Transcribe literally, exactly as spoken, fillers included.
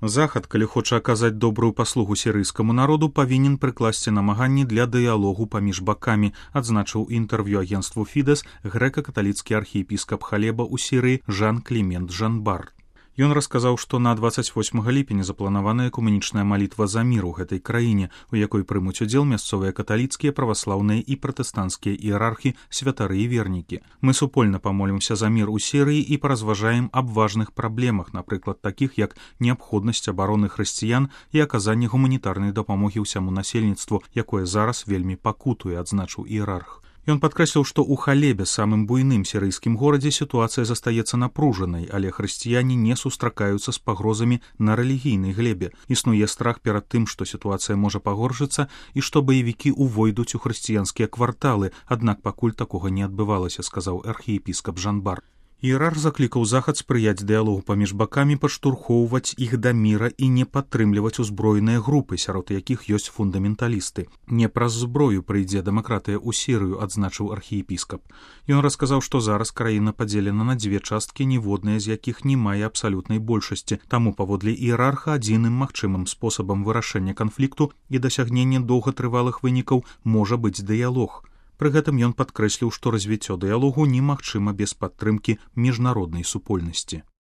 Захад, калі хоча аказаць добрую паслугу сірыйскаму народу, павінен прыкласці намаганні для дыялогу паміж бакамі, адзначыў інтэрв'ю агенству Фідэс грэка-каталіцкі архіепіскап Халеба ў Сірыі Жан-Клімент Жанбар. Ён расказаў, што на дваццаць восьмага ліпеня запланаваная экуменічная малітва за мір у гэтай краіне, у якой прымуць удзел мясцовыя каталіцкія, праваслаўныя і пратэстанцкія іерархі, святары і вернікі. Мы супольна памолімся за мір у Сірыі і паразважаем аб важных праблемах, напрыклад, такіх як неабходнасць абароны хрысціян і аказанне гуманітарнай дапамогі ўсяму насельніцтву, якое зараз вельмі пакутуе, адзначыў іерарх. Ён падкрэсліў, што ў Халебе, самым буйным сірыйскім горадзе, сітуацыя застаецца напружанай, але хрысціяне не сустракаюцца з пагрозамі на рэлігійнай глебе. Існуе страх перад тым, што сітуацыя можа пагоршыцца і што баевікі ўвойдуць у хрысціянскія кварталы, аднак пакуль такога не адбывалася, сказаў архіепіскап Жанбар. Іерарх заклікаў захад спрыяць дыялогу паміж бакамі, падштурхоўваць іх да міра і не падтрымліваць узброеныя групы, сярод якіх ёсць фундаменталісты. Не праз зброю прыйдзе дэмакратыя ў Сірыю, адзначыў архіепіскап. Ён расказаў, што зараз краіна падзелена на дзве часткі, ніводная з якіх не мае абсалютнай большасці, таму паводле іерарха адзіным магчымым спосабам вырашэння канфлікту і дасягнення доўгатрывалых вынікаў можа быць дыялог. Пры гэтым ён падкрэсліў, што развіццё дыялогу немагчыма без падтрымкі міжнароднай супольнасці.